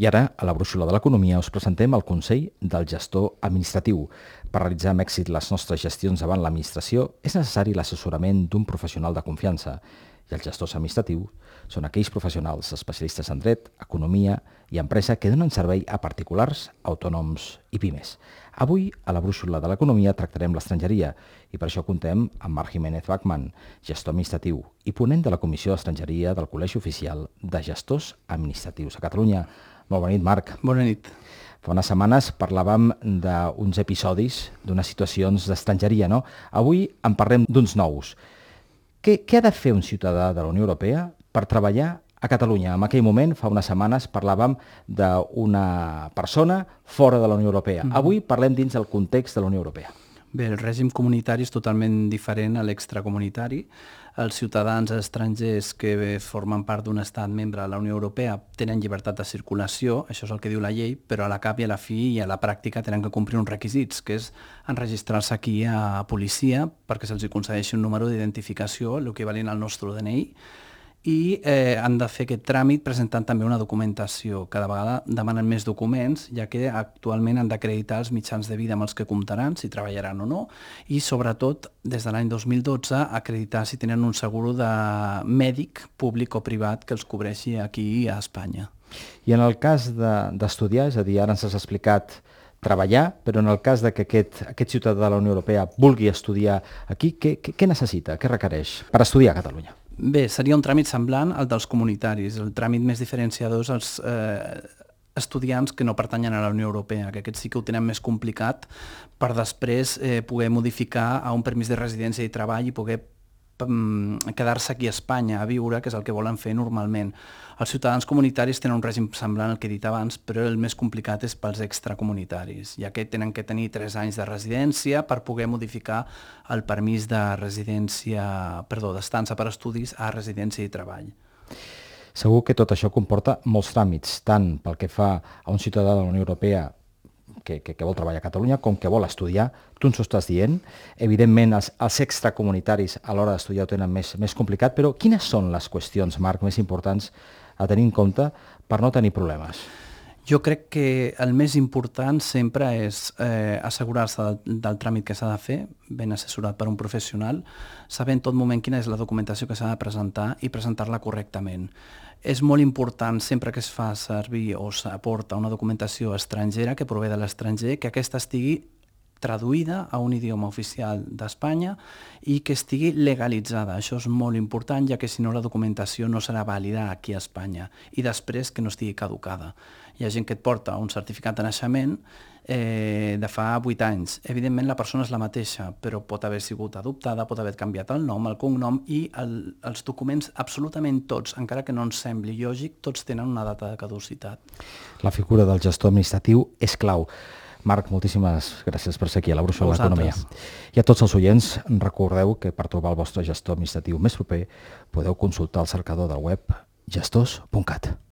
I ara, a la brúixola de l'economia, us presentem el Consell del Gestor Administratiu. Per realitzar amb èxit les nostres gestions davant l'administració és necessari l'assessorament d'un professional de confiança. I els gestors administratius són aquells professionals especialistes en dret, economia i empresa que donen servei a particulars, autònoms i pimes. Avui, a la brúixola de l'economia, tractarem l'estrangeria i per això contem amb Marc Jiménez Bachmann, gestor administratiu i ponent de la Comissió d'Estrangeria del Col·legi Oficial de Gestors Administratius a Catalunya. Molt bona nit, Marc. Bona nit. Fa unes setmanes parlàvem d'uns episodis, d'unes situacions d'estrangeria, no? Avui en parlem d'uns nous. Què ha de fer un ciutadà de la Unió Europea per treballar a Catalunya? En aquell moment, fa unes setmanes, parlàvem d'una persona fora de la Unió Europea. Avui parlem dins del context de la Unió Europea. Bé, el règim comunitari és totalment diferent a l'extracomunitari. Els ciutadans estrangers que formen part d'un estat membre de la Unió Europea tenen llibertat de circulació, això és el que diu la llei, però a la cap i a la fi i a la pràctica tenen que complir uns requisits, que és enregistrar-se aquí a policia perquè se'ls concedeixi un número d'identificació, l'equivalent al nostre DNI, i han de fer aquest tràmit presentant també una documentació. Cada vegada demanen més documents, ja que actualment han d'acreditar els mitjans de vida amb els que comptaran, si treballaran o no, i sobretot, des de l'any 2012, acreditar si tenen un seguro de mèdic públic o privat que els cobreixi aquí a Espanya. I en el cas d'estudiar, és a dir, ara ens has explicat treballar, però en el cas de que aquest ciutadà de la Unió Europea vulgui estudiar aquí, què necessita, què requereix per estudiar a Catalunya? Bé, seria un tràmit semblant al dels comunitaris. El tràmit més diferenciador és els estudiants que no pertanyen a la Unió Europea, que aquests sí que ho tenen més complicat per després poder modificar a un permís de residència i treball i poder quedar-se aquí a Espanya a viure, que és el que volen fer normalment. Els ciutadans comunitaris tenen un règim semblant al que he dit abans, però el més complicat és pels extracomunitaris, ja que tenen que tenir 3 anys de residència per poder modificar el permís de d'estança per estudis a residència i treball. Segur que tot això comporta molts tràmits, tant pel que fa a un ciutadà de la Unió Europea que vol treballar a Catalunya, com que vol estudiar. Tu ens ho estàs dient. Evidentment, els extracomunitaris a l'hora d'estudiar ho tenen més complicat, però quines són les qüestions, Marc, més importants a tenir en compte per no tenir problemes? Jo crec que el més important sempre és assegurar-se del tràmit que s'ha de fer, ben assessorat per un professional, saber en tot moment quina és la documentació que s'ha de presentar i presentar-la correctament. És molt important, sempre que es fa servir o s'aporta una documentació estrangera que prové de l'estranger, que aquesta estigui traduïda a un idioma oficial d'Espanya i que estigui legalitzada. Això és molt important, ja que si no la documentació no serà vàlida aquí a Espanya i després que no estigui caducada. Hi ha gent que et porta un certificat de naixement de fa 8 anys. Evidentment la persona és la mateixa, però pot haver sigut adoptada, pot haver canviat el nom, el cognom i els documents, absolutament tots, encara que no ens sembli lògic, tots tenen una data de caducitat. La figura del gestor administratiu és clau. Marc, moltíssimes gràcies per ser aquí a la brúixola de l'economia. I a tots els oients, recordeu que per trobar el vostre gestor administratiu més proper podeu consultar el cercador del web gestors.cat.